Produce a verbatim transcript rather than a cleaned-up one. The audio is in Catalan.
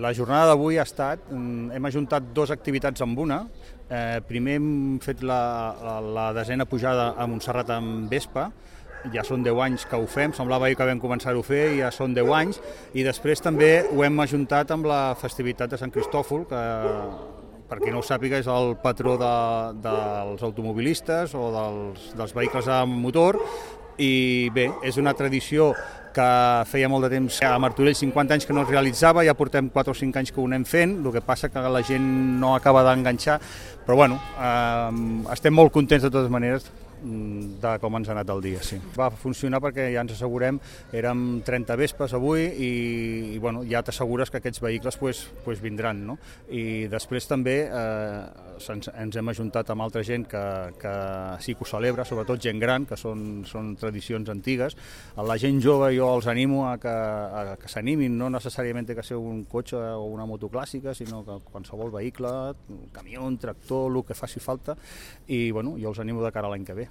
La jornada d'avui ha estat, hem ajuntat dues activitats amb una. Eh, primer hem fet la, la desena pujada a Montserrat amb Vespa, ja són deu anys que ho fem, semblava que vam començar-ho a fer i ja són deu anys, i després també ho hem ajuntat amb la festivitat de Sant Cristòfol, que per qui no ho sàpiga és el patró de, dels automobilistes o dels, dels vehicles amb motor, i bé, és una tradició que feia molt de temps, a Martorell cinquanta anys que no es realitzava, ja portem quatre o cinc anys que ho anem fent, el que passa que la gent no acaba d'enganxar, però bueno, eh, estem molt contents de totes maneres de com ens ha anat el dia, sí. Va funcionar perquè ja ens assegurem, érem trenta vespes avui i, i bueno, ja t'assegures que aquests vehicles pues, pues vindran, no? I després també eh, ens, ens hem ajuntat amb altra gent que, que sí que ho celebra, sobretot gent gran, que són, són tradicions antigues. A la gent jove jo els animo a que, a que s'animin, no necessàriament té que ser un cotxe o una moto clàssica, sinó que qualsevol vehicle, un camió, un tractor, el que faci falta, i bueno, jo els animo de cara a l'any que ve.